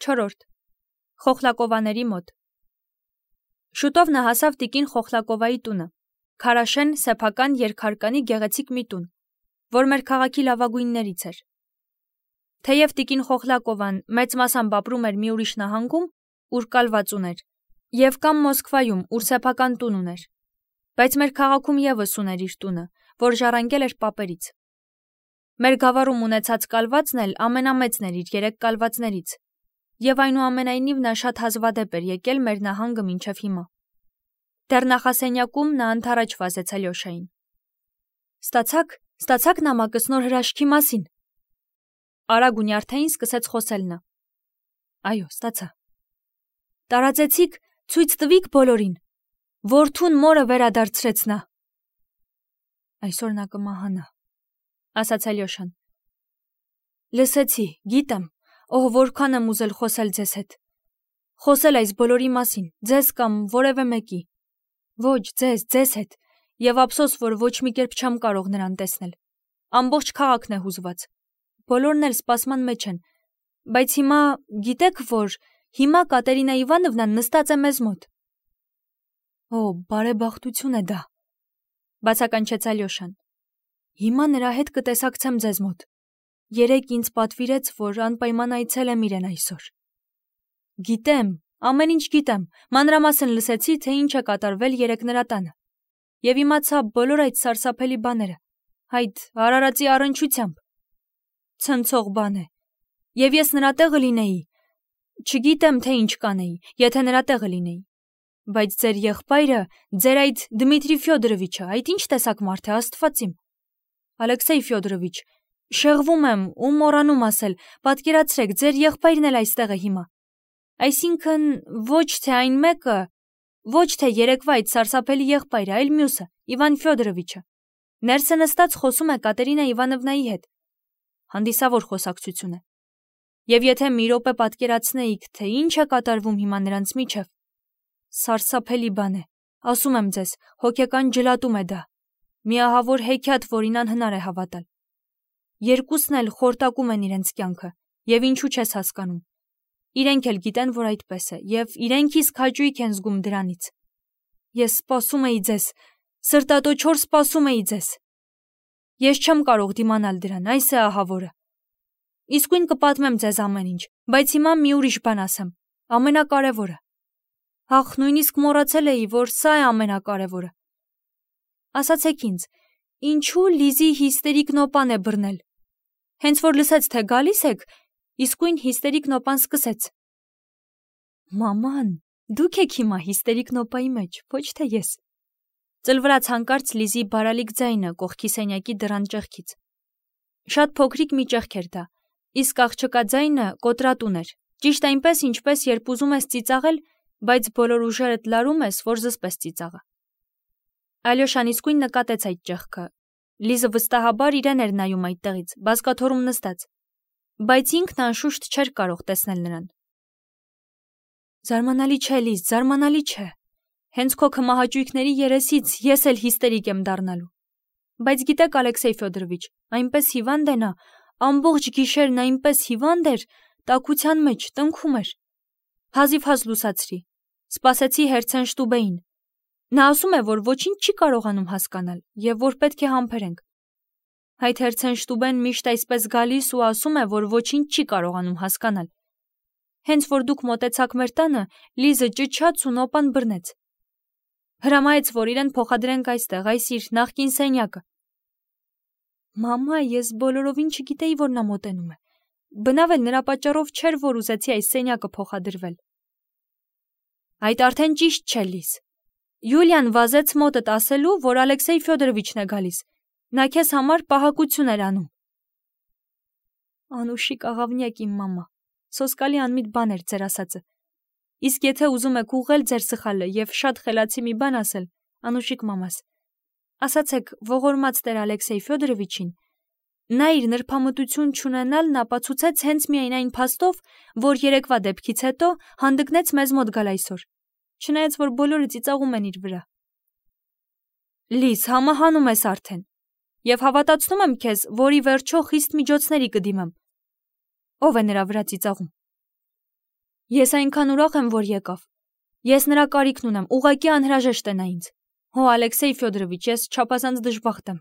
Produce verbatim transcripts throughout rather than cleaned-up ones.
Չորրորդ. Խոխլակովաների մոտ։ Շուտով նա հասավ տիկին Խոխլակովայի տունը, քարաշեն, սեփական երկհարկանի գեղեցիկ մի տուն, որ մեր քաղաքի լավագույններից էր։ Թեև տիկին Խոխլակովան մեծ մասամբ ապրում էր մի ուրիշ նահանգում, ուր կալված ուներ, եւ կամ Մոսկվայում, ուր սեփական տուն ուներ, բայց մեր քաղաքում եւս ուներ իր տունը, որ ժառանգել էր պապերից։ Մեր գավառում ունեցած կալվածն էլ ամենամեծն էր իր երեք կալվածներից, եւ այնուամենայնիվ նա շատ հազվադեպ էր եկել մեր նահանգը մինչև հիմա։ Դեռ նախասենյակում նա ընդառաջ վազեց Ալյոշային։ Ստացաք, ստացաք նամակս նոր հրաշքի մասին։ Արագ ու նյարդային սկսեց խոսել նա։ Այո, ստացա։ Տարածեցիք, ցույց տվիք բոլորին։ Որդուն մորը վերադարձրեց նա։ Այսօր նա կմահանա, ասաց Ալյոշան։ Լսեցի, գիտեմ, օհ, որքան եմ ուզել խոսել ձեզ հետ։ Խոսել այս բոլորի մասին, ձեզ կամ որևէ մեկի։ Ոչ, ձեզ, ձեզ հետ, եւ ափսոս, որ ոչ մի կերպ չեմ կարող նրան տեսնել։ Ամբողջ քաղաքն է հուզված։ Բոլորն էլ սպասման մեջ են։ Բայց հիմա, գիտեք որ, հիմա Կատերինա Իվանովնան նստած է մեզ մոտ։ Օ, բարեբախտություն է դա, բացականչեց Ալյոշան։ Հիմա նրա հետ կտեսակցեմ ձեզ մոտ։ Երեկ ինձ պատվիրեց, որ անպայման այցելեմ իրեն այսօր։ Գիտեմ, ամեն ինչ գիտեմ, մանրամասն լսեցի, թե ինչ է կատարվել երեկ նրա տանը։ Եվ իմացա բոլոր այդ սարսափելի բաները, այդ արարածի առնչությամբ։ Ցնցող բան է։ Եվ ես նրա տեղը լինեի, չգիտեմ, թե ինչ կանեի, եթե նրա տեղը լինեի։ Բայց ձեր եղբայրը, ձեր այդ Դմիտրի Ֆյոդորովիչը, այդ ինչ տեսակ մարդ է, Աստված իմ։ Ալեքսեյ Ֆյոդորովիչ, շեղվում եմ ու մոռանում ասել, պատկերացրեք, ձեր եղբայրն էլ այստեղ է հիմա։ Այսինքն ոչ թե այն մեկը, ոչ թե երեկվա այդ սարսափելի եղբայրը, այլ մյուսը, Իվան Ֆյոդորովիչը։ Ներսը նստած խոսում է Կատերինա Իվանովնայի հետ։ Հանդիսավոր խոսակցություն է։ Եվ եթե մի րոպե պատկերացնեիք, թե ինչ է կատարվում հիմա նրանց միջև, սարսափելի բան է, ասում եմ ձեզ, հոգեկան ջլատում է դա, միահավոր հեքիաթ, որին անհնար է հավատալ։ Երկուսն էլ խորտակում են իրենց կյանքը, եւ ինչու չես հասկանում։ Իրենք էլ գիտեն, որ այդպես է, եւ իրենք իսկ հաճույք են զգում դրանից։ Ես սպասում էի ձեզ, սրտատոչոր սպասում էի ձեզ։ Ես չեմ կարող դիմանալ դրան, այս է ահավորը։ Իսկույն կպատմեմ ձեզ ամեն ինչ, բայց հիմա մի ուրիշ բան ասեմ, ամենակարևորը։ Ախ, նույնիսկ մոռացել էի, որ սա է ամենակարևորը։ Ասացեք ինձ, ինչու Լիզի հիստերիկ նոպան է բռնել։ Հենց որ լսեց, թե գալիս եք, իսկույն հիստերիկ նոպան սկսեց։ Մաման, դուք եք հիմա հիստերիկ նոպայի մեջ, ոչ թե ես։ Ծլվրաց հանկարծ Լիզի բարալիկ ձայնը կողքի սենյակի դռան ճեղքից։ Շատ փոքրիկ մի ճեղք էր դա, իսկ աղջկա ձայնը կոտրատուն էր, ճիշտ այնպես, ինչպես երբ ուզում ես ծիծաղել, բայց բոլոր ուժերդ լարում ես, որ զսպես ծիծաղը։ Ալյոշան իսկույն նկատեց այդ ճեղքը։ Լիզը վստահաբար իրեն էր նայում այդտեղից, բազկաթոռում նստած, բայց ինքն անշուշտ չէր կարող տեսնել նրան։ Զարմանալի չէ, Լիզ, զարմանալի չէ։ Հենց քո քմահաճույքների երեսից ես էլ հիստերիկ եմ դառնալու։ Բայց գիտեք, Ալեքսեյ Ֆյոդորովիչ, այնպես հիվանդ է նա, ամբողջ գիշերն այնպես հիվանդ էր, տաքության մեջ տնքում էր։ Հազիվ-հազ լուսացրի։ Սպասեցի Հերցենշտուբեին։ Նա ասում է, որ ոչինչ չի կարողանում հասկանալ եւ որ պետք է համբերենք։ Այդ Հերցենշտուբեն միշտ այսպես գալիս ու ասում է, որ ոչինչ չի կարողանում հասկանալ։ Հենց որ դուք մոտեցաք մեր տանը, Լիզը ճչաց ու նոպան բռնեց։ Հրամայեց, որ իրեն փոխադրենք այստեղ, այս իր նախկին սենյակը։ Մամա, ես բոլորովին չգիտեի, որ նա մոտենում է։ Բնավ էլ նրա պատճառով չէր, որ ուզեցի այս սենյակը փոխադրվել։ Այդ արդեն ճիշտ չէ, Լիզ։ Յուլիան վազեց մոտդ ասելու, որ Ալեքսեյ Ֆյոդորովիչն է գալիս։ Նա քեզ համար պահակություն էր անում։ Անուշիկ աղավնյակ իմ մամա, սոսկալի անմիտ բան էր ձեր ասածը։ Իսկ եթե ուզում եք ուղղել ձեր սխալը եւ շատ խելացի մի բան ասել, Անուշիկ մամաս, ասացեք ողորմած տեր Ալեքսեյ Ֆյոդորովիչին, նա իր նրբամտություն չունենալն ապացուցեց հենց միայն այն փաստով, որ երեկվա դեպքից հետո հանդգնեց մեզ մոտ գալ այսօր, չնայած որ բոլորը ծիծաղում են իր վրա։ Լիզ, համահանում ես արդեն, եւ հավատացնում եմ քեզ, որ ի վերջո խիստ միջոցների կդիմեմ։ Ո՞վ է նրա վրա ծիծաղում։ Ես այնքան ուրախ եմ, որ եկավ։ Ես նրա կարիքն ունեմ, ուղղակի անհրաժեշտ է նա ինձ։ Հո Ալեքսեյ Ֆյոդորովիչ, ես չափազանց դժբախտ եմ։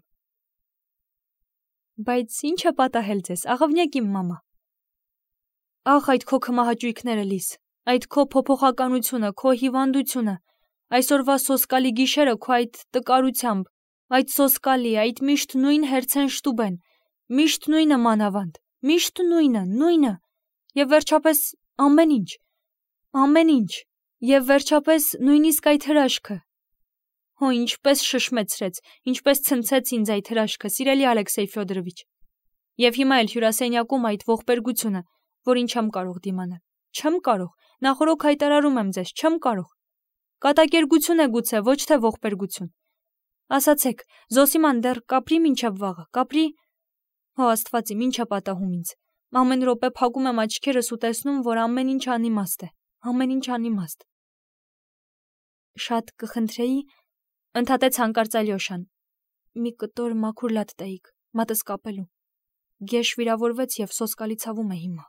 Բայց ի՞նչ է պատահել ձեզ, աղավնյակ իմ մամա։ Ախ, այդ քո քմահաճույքները, Լիզ, այդ քո փոփոխականությունը, քո հիվանդությունը, այսօրվա սոսկալի գիշերը քո այդ տկարությամբ, այդ սոսկալի, այդ միշտ նույն հերցեն շտուբեն, միշտ նույնը մանավանդ, միշտ նույնը, նույնը, եւ վերջապես ամեն ինչ, ամեն ինչ, եւ վերջապես նույնիսկ այդ հրաշքը։ Հո ինչպես շշմեցրեց, ինչպես ցնցեց ինձ այդ հրաշքը, սիրելի Ալեքսեյ Ֆյոդորովիչ։ Եվ հիմա էլ հյուրասենյակում այդ ողբերգությունը, որին չեմ կարող դիմանալ, չեմ կարող, նախորոք հայտարարում եմ ձեզ, չեմ կարող։ Կատակերգություն է գուցե, ոչ թե ողբերգություն։ Ասացեք, Զոսիման դեռ կապրի մինչև վաղը, կապրի։ Հո Աստված իմ, ինչ է պատահում ինձ։ Ամեն րոպե փակում եմ աչքերս ու տեսնում, որ ամեն ինչ անիմաստ է, ամեն ինչ անիմաստ։ Շատ կխնդրեի, ընդհատեց հանկարծ Ալյոշան, մի կտոր մաքուր լատ տայիք, մատս կապելու։ Գեշ վիրավորվեց եւ սոսկալի ցավում է հիմա։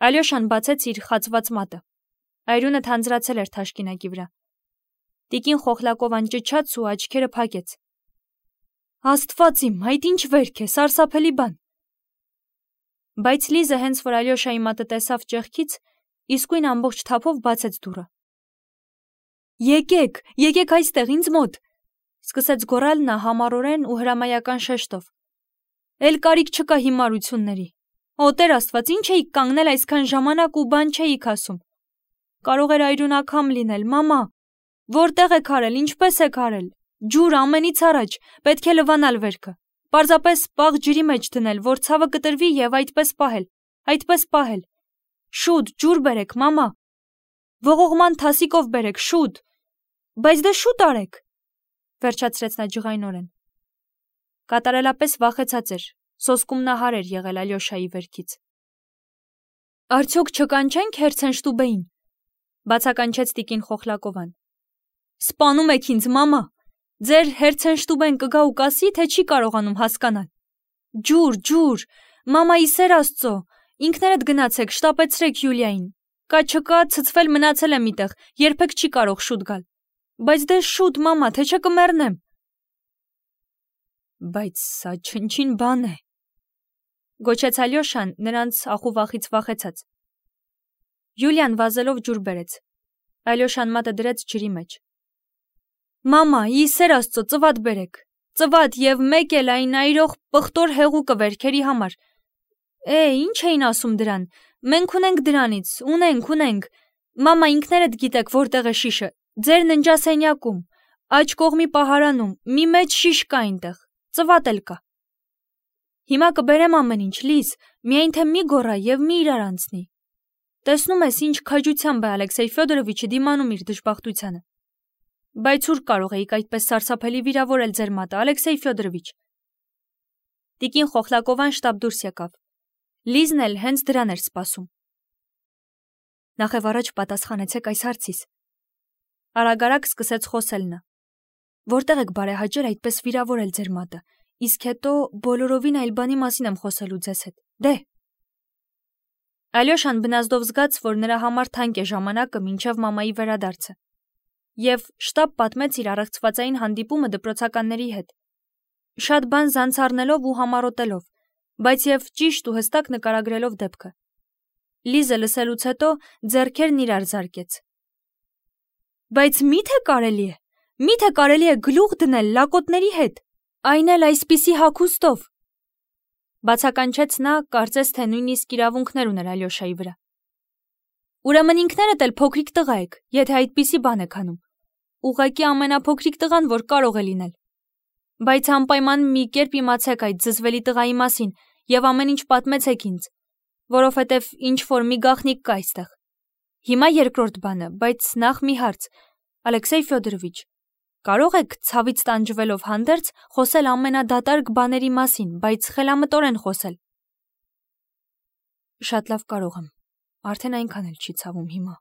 Ալյոշան բացեց իր խացված մատը։ Այրունը թանձրացել էր թաշկինակի վրա։ Տիկին Խոխլակովան ճչաց ու աչքերը փակեց։ Աստված իմ, այդ ինչ վերք է, սարսափելի բան։ Բայց Լիզը հենց որ Ալյոշայի մատը տեսավ ճեղքից, իսկույն ամբողջ թափով բացեց դուռը։ Եկեք, եկեք այստեղ ինձ մոտ, սկսեց գոռալ նա համառորեն ու հրամայական շեշտով։ Էլ կարիք չկա հիմարությունների։ Օ Տեր Աստված, ինչ էիք կանգնել այսքան ժամանակ ու բան չէիք ասում։ Կարող էր այրունակամ լինել, մամա։ Որտեղ եք արել, ինչպես եք արել։ Ջուր ամենից առաջ, պետք է լվանալ վերքը։ Պարզապես պաղ ջրի մեջ դնել, որ ցավը կտրվի եւ այդպես պահել, այդպես պահել։ Շուտ, ջուր բերեք, մամա։ Ողողման թասիկով բերեք, շուտ։ Բայց դե շուտ արեք, վերջացրեց նա ջղայնորեն։ Կատարելապես վախեցած էր, սոսկումնահար էր եղել Ալյոշայի վերքից։ Արդյոք չկանչենք հերցեն շտուբեին, բացականչեց տիկին Խոխլակովան։ Սպանում եք ինձ, մամա։ Ձեր հերցեն շտուբեն կգա ու կասի, թե չի կարողանում հասկանալ։ Ջուր, ջուր, մամայի սեր Աստծո, ինքներդ գնացեք, շտապեցրեք Յուլիային։ Կա չկա, ցցվել մնացել եմ միտեղ, երբեք չի կարող շուտ գալ։ Բայց դե շուտ, մամա, թե չէ կմեռնեմ։ Բայց սա չնչին բան է, գոչեց Ալյոշան նրանց ախուվախից վախեցած։ Յուլիան վազելով ջուր բերեց։ Ալյոշան մատը դրեց ջրի մեջ։ Մամա, իսեր Աստծո, ծվատ բերեք, ծվատ եւ մեկ էլ այն այրող պղտոր հեղուկը վերքերի համար։ Է, ինչ էին ասում դրան։ Մենք ունենք դրանից, ունենք, ունենք։ Մամա, ինքներդ գիտեք որտեղ է շիշը։ Ձեր ննջասենյակում, աջ կողմի պահարանում, մի մեծ շիշ կա այնտեղ, ծվատ էլ կա։ Հիմա կբերեմ ամեն ինչ, Լիզ, միայն թե մի գոռա եւ մի իրար անցնի։ Տեսնում ես ինչ քաջությամբ է Ալեքսեյ Ֆյոդորովիչը դիմանում իր դժբախտությանը։ Բայց ուր կարող էիք այդպես սարսափելի վիրավորել ձեր մատը, Ալեքսեյ Ֆյոդորովիչ։ Տիկին Խոխլակովան շտապ դուրս եկավ։ Լիզն էլ հենց դրան էր սպասում։ Նախև առաջ պատասխանեցեք այս հարցիս։ Արագ-արագ սկսեց խոսել նա։ Որտեղ եք բարեհաճել այդպես վիրավորել ձեր մատը, իսկ հետո բոլորովին այլ բանի մասին եմ խոսելու ձեզ հետ։ Դե։ Ալյոշան բնազդով զգաց, որ նրա համար թանկ է ժամանակը մինչև մամայի վերադարձը։ Եվ շտապ պատմեց իր առեղծվածային հանդիպումը դպրոցականների հետ։ Շատ բան զանց առնելով ու համառոտելով, բայց եւ ճիշտ ու հստակ նկարագրելով դեպքը։ Լիզը լսելուց հետո ձեռքերն իրար զարկեց։ Բայց միթե կարելի է, միթե կարելի է գլուխ դնել լակոտների հետ, այն էլ այսպիսի հագուստով։ Բացականչեց նա, կարծես թե նույնիսկ իրավունքներ ուներ Ալյոշայի վրա։ Ուրեմն ինքներդ էլ փոքրիկ տղա եք, եթե այդպիսի բան եք անում։ Ուղղակի ամենափոքրիկ տղան, որ կարող է լինել։ Բայց անպայման մի կերպ իմացեք այդ զզվելի տղայի մասին եւ ամեն ինչ պատմեցեք ինձ, որովհետեւ ինչ որ մի գաղտնիք կա այստեղ։ Հիմա երկրորդ բանը, բայց նախ մի հարց, Ալեքսեյ Ֆյոդորովիչ, կարող եք ցավից տանջվելով հանդերձ խոսել ամենադատարկ բաների մասին, բայց խելամտորեն խոսել։ Շատ լավ կարող եմ, արդեն այնքան էլ չի ցավում հիմա։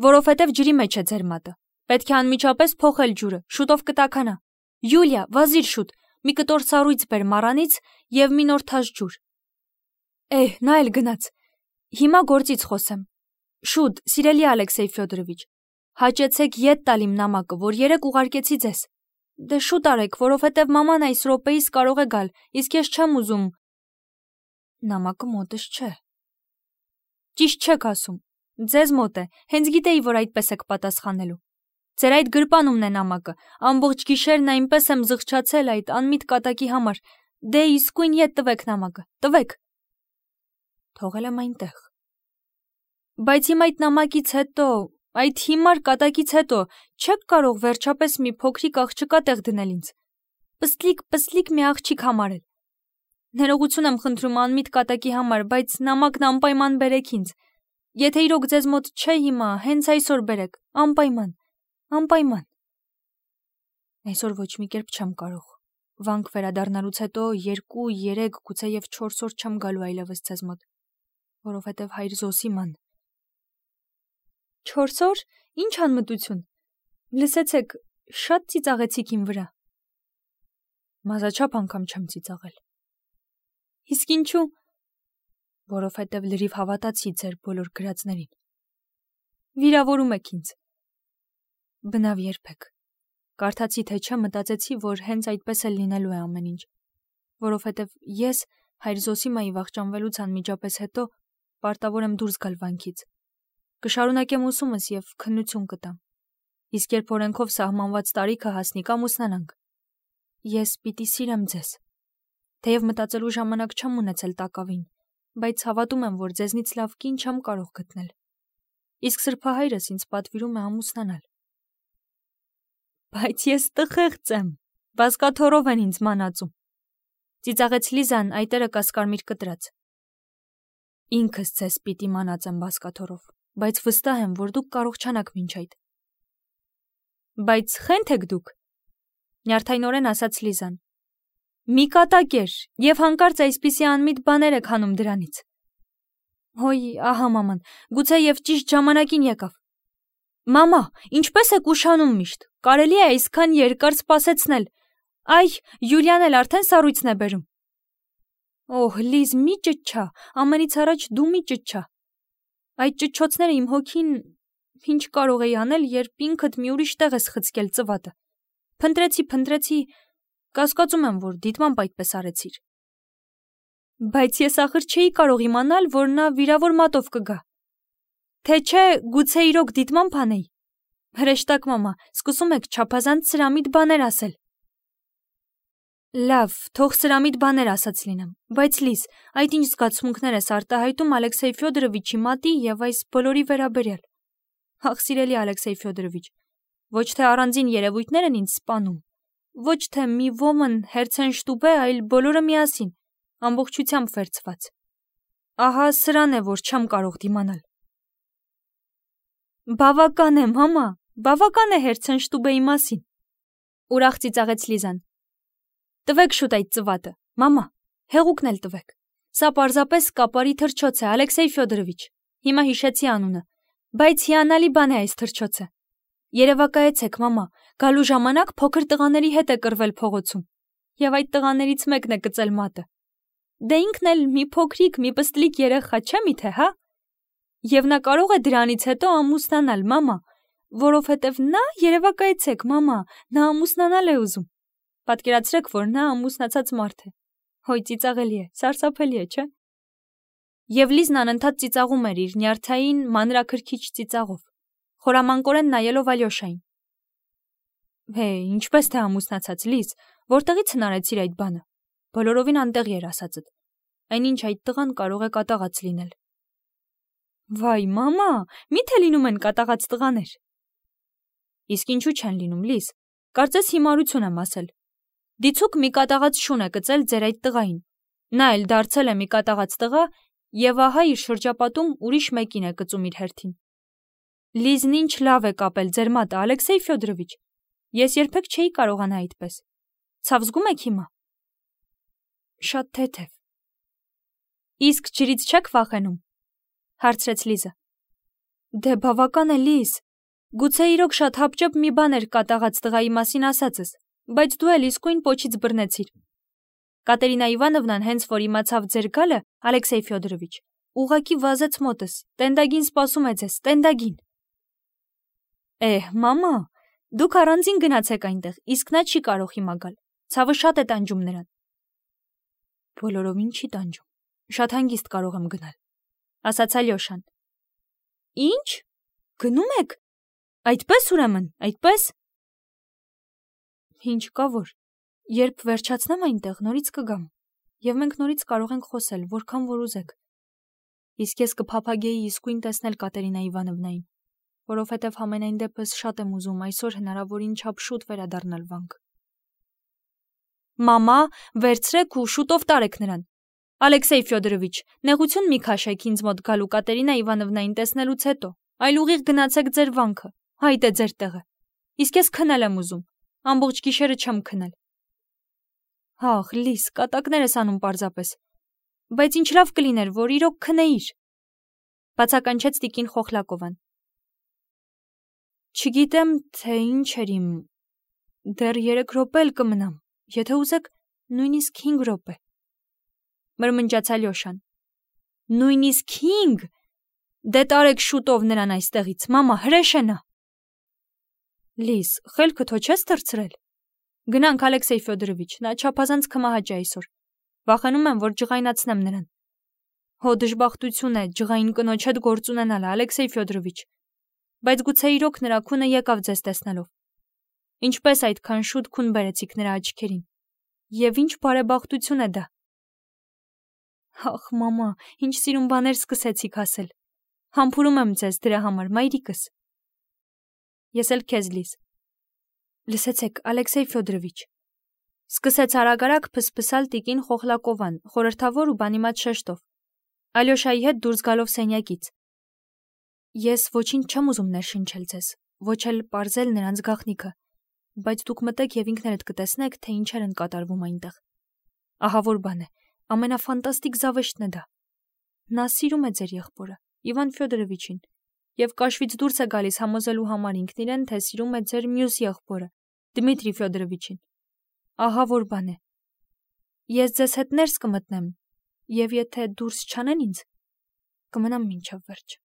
Որովհետև ջրի մեջ է ձեր մատը, պետք է անմիջապես փոխել ջուրը, շուտով կտաքանա։ Յուլիա, վազիր շուտ, մի կտոր սառույց բեր մառանից եւ մի նոր թաշ ջուր։ Էհ, նա էլ գնաց։ Հիմա գործից խոսեմ։ Շուտ, սիրելի Ալեքսեյ Ֆյոդորովիչ, հաճեցեք ետ տալ իմ նամակը, որ երեկ ուղարկեցի ձեզ։ Դե շուտ արեք, որովհետև մաման այս րոպեիս կարող է գալ, իսկ ես չեմ ուզում։ Նամակը մոտս չէ։ Ճիշտ չեք ասում։ Ձեզ մոտ է, հենց գիտեի, որ այդպես եք պատասխանելու։ Ձեր այդ գրպանումն է նամակը, ամբողջ գիշերն այնպես եմ զղջացել այդ անմիտ կատակի համար։ Դե իսկույն ետ տվեք նամակը, տվեք։ Թողել եմ այնտեղ։ Բայց իմ այդ նամակից հետո, այդ հիմար կատակից հետո չեք կարող վերջապես մի փոքրիկ աղջկա տեղ դնել ինձ։ Պստլիկ, պստլիկ մի աղջիկ համարել։ Ներողություն եմ խնդրում անմիտ կատակի համար, բայց նամակն անպայման բերեք ինձ։ Եթե իրոք ձեզ մոտ չէ հիմա, հենց այսօր բերեք, անպայման, անպայման։ Այսօր ոչ մի կերպ չեմ կարող։ Վանք վերադառնալուց հետո երկու, երեք, գուցեև չորս օր չեմ գալու այլևս ձեզ մոտ, որովհետև հայր Զոսի ման։ Չորս օր, ինչ անմտություն։ Լսեցեք, շատ ծիծաղեցիք իմ վրա։ Մազաչափ անգամ չեմ ծիծաղել։ Իսկ ինչու։ Որովհետև լրիվ հավատացի ձեր բոլոր գրածներին։ Վիրավորում եք ինձ։ Բնավ երբեք։ Կարդացի թե չէ, մտածեցի, որ հենց այդպես էլ լինելու է ամեն ինչ, որովհետև ես հայր Զոսիմայի վախճանվելուց անմիջապես հետո պարտավոր եմ դուրս գալ վանքից։ Կշարունակեմ ուսումս և քննություն կտամ։ Իսկ երբ օրենքով սահմանված տարիքը հասնի, կամուսնանանք։ Ես պիտի սիրեմ ձեզ։ Թեև մտածելու ժամանակ չեմ ունեցել տակավին, բայց հավատում եմ, որ ձեզնից լավ կին չեմ կարող գտնել։ Իսկ սրբահայրս ինձ պատվիրում է ամուսնանալ։ Բայց ես տխեղծ եմ, բազկաթոռով են ինձ մանածում։ Ծիծաղեց Լիզան այտերը կասկարմիր կտրած։ Ինքս ձեզ պիտի մանածեմ բազկաթոռով, բայց վստահ եմ, որ դուք կարող չանաք մինչ այդ։ Բայց խենթ եք դուք, նյարդայնորեն ասաց Լիզան։ Մի կատակեր, և հանկարծ այսպիսի անմիտ բաներ եք հանում դրանից։ Հոյ, ահա մաման, գուցեև ճիշտ ժամանակին եկավ։ Մամա, ինչպես եք ուշանում միշտ, կարելի է այսքան երկար սպասեցնել։ Այ, Յուլիան էլ արդեն սառույցն է բերում։ Օհ, Լիզ, մի ճչա, ամենից առաջ դու մի ճչա։ Այդ ճչոցները իմ հոգին ինչ կարող էի անել, երբ ինքդ մի ուրիշ տեղ ես խցկել ծվատը։ Փնտրեցի, փնտրեցի, կասկածում եմ, որ դիտմամբ այդպես արեցիր։ Բայց ես ախր չէի կարող իմանալ, որ նա վիրավոր մատով կգա։ Թե չէ, գուցե իրոք դիտմամբ անեի։ Հրեշտակ մամա, սկսում եք չափազանց սրամիտ բաներ ասել։ Լավ, թող սրամիտ բաներ ասած լինեմ, բայց Լիզ, այդ ինչ զգացմունքներ ես արտահայտում Ալեքսեյ Ֆյոդորովիչի մատի և այս բոլորի վերաբերյալ։ Ախ, սիրելի Ալեքսեյ Ֆյոդորովիչ, ոչ թե առանձին երևույթներ են ինձ սպանում, ոչ թե մի ոմն հերցենշտուբե, այլ բոլորը միասին, ամբողջությամբ վերցված։ Ահա սրան է, որ չեմ կարող դիմանալ։ Բավական է, մամա, բավական է հերցենշտուբեի մասին։ Ուրախ ծիծաղեց Լիզան։ Տվեք շուտ այդ ծվատը, մամա, հեղուկն էլ տվեք։ Սա պարզապես կապարի թռչոց է, Ալեքսեյ Ֆյոդորովիչ։ Հիմա հիշեցի անունը, բայց հիանալի բան է այս թռչոցը։ Երևակայեցեք, մամա, գալու ժամանակ փոքր տղաների հետ է կռվել փողոցում, և այդ տղաներից մեկն է կծել մատը։ Դե ինքն էլ մի փոքրիկ, մի պստլիկ երեխա չէ միթե, հա։ Եվ նա կարող է դրանից հետո ամուսնանալ, մամա, որովհետև նա, երևակայեցեք, մամա, նա ամուսնանալ է ուզում։ Պատկերացրեք, որ նա ամուսնացած մարդ է։ Հոյ, ծիծաղելի է, սարսափելի է, չէ։ Եվ Լիզն անընդհատ ծիծաղում էր իր նյարդային, մանրաքրքիջ ծիծաղով, խորամանկորեն նայելով Ալյոշային։ Հե, ինչպես թե ամուսնացած, Լիզ, որտեղից հնարեցիր այդ բանը։ Բոլորովին անտեղի էր ասածդ։ Այնինչ այդ տղան կարող է կատաղած լինել։ Վայ, մամա, միթե լինում են կատաղած տղաներ։ Իսկ ինչու չեն լինում, Լիզ, կարծես հիմարություն եմ ասել։ Դիցուք մի կատաղած շուն է կծել ձեր այդ տղային։ Նա էլ դարձել է մի կատաղած տղա և ահա իր շրջապատում ուրիշ մեկին է կծում իր հերթին։ Լիզն ինչ լավ է կապել ձեր մատը, Ալեքսեյ Ֆյոդորովիչ։ Ես երբեք չէի կարողանա այդպես։ Ցավ զգում եք հիմա։ Շատ թեթև։ Իսկ ջրից չեք վախենում, հարցրեց Լիզը։ Դե բավական է, Լիզ։ Գուցե իրոք շատ հապճեպ մի բան էր կատաղած տղայի մասին ասածս, բայց դու էլ իսկույն պոչից բռնեցիր։ Կատերինա Իվանովնան հենց որ իմացավ ձեր գալը, Ալեքսեյ Ֆյոդորովիչ, ուղակի վազեց մոտս, տենդագին սպասում է ձեզ, տենդագին։ Էհ, մամա, դուք առանձին գնացեք այնտեղ, իսկ նա չի կարող հիմա գալ, ցավը շատ է տանջում նրան։ Բոլորովին չի տանջում, շատ հանգիստ կարող եմ գնալ, ասաց Ալյոշան։ Ինչ, գնում եք, այդպես ուրեմն, այդպես։ Ինչ կա որ, երբ վերջացնեմ այնտեղ, նորից կգամ, և մենք նորից կարող ենք խոսել, որքան որ ուզեք։ Իսկ ես կփափագեի իսկույն տեսնել Կատերինա Իվանովնային, որովհետև համենայն դեպս շատ եմ ուզում այսօր հնարավորին չափ շուտ վերադառնալ վանք։ Մամա, վերցրեք ու շուտով տարեք նրան։ Ալեքսեյ Ֆյոդորովիչ, նեղություն մի քաշեք ինձ մոտ գալու Կատերինա Իվանովնային տեսնելուց հետո, այլ ուղիղ գնացեք ձեր վանքը, հայտ է ձեր տեղը։ Իսկ ես քնել եմ ուզում, ամբողջ գիշերը չեմ քնել։ Ահ, Լիս, կատակներ ես անում պարզապես։ Բայց ինչ լավ կլիներ, որ իրոք քնեիր, բացականչեց տիկին Խոխլակովան։ Չգիտեմ, թե ինչ էր իմ, դեռ երեք րոպե էլ կմնամ, եթե ուզեք, նույնիսկ հինգ րոպե, մրմնջաց Ալյոշան։ Նույնիսկ հինգ, դե տարեք շուտով նրան այստեղից, մամա, հրեշ է նա։ Լիս, խելքդ հո չես թռցրել։ Գնանք, Ալեքսեյ Ֆյոդորովիչ, նա չափազանց կմահաճ է այսօր, վախենում եմ, որ ջղայնացնեմ նրան։ Հո դժբախտություն է ջղային կնոջ հետ գործ ունենալը, Ալեքսեյ Ֆյոդորովիչ, բայց գուցե իրոք նրա քունը եկավ ձեզ տեսնելով։ Ինչպես այդքան շուտ քուն բերեցիք նրա աչքերին, և ինչ բարեբախտություն է դա։ Ախ, մամա, ինչ սիրուն բաներ սկսեցիք ասել։ Համբուրում եմ ձեզ դրա համար, մայրիկս։ Ես էլ քեզ, Լիս։ Լսեցեք, Ալեքսեյ Ֆյոդորովիչ, սկսեց արագ-արագ փսփսալ տիկին Խոխլակովան, խորհրդավոր ու բանիմաց շեշտով, Ալյոշայի հետ դուրս գալով սենյակից։ Ես ոչինչ չեմ ուզում ներշնչել ձեզ, ոչ էլ պարզել նրանց գաղտնիքը, բայց դուք մտեք և ինքներդ կտեսնեք, թե ինչեր են կատարվում այնտեղ։ Ահա որ բան է, ամենաֆանտաստիկ զավեշտն է դա։ Նա սիրում է ձեր եղբորը, Իվան Ֆյոդորովիչին, և կաշվից դուրս է գալիս համոզելու համար ինքն իրեն, թե սիրում է ձեր մյուս եղբորը, Դմիտրի Ֆյոդորովիչին։ Ահա որ բան է։ Ես ձեզ հետ ներս կմտնեմ, և եթե դուրս չանեն ինձ, կմնամ մինչև վերջ։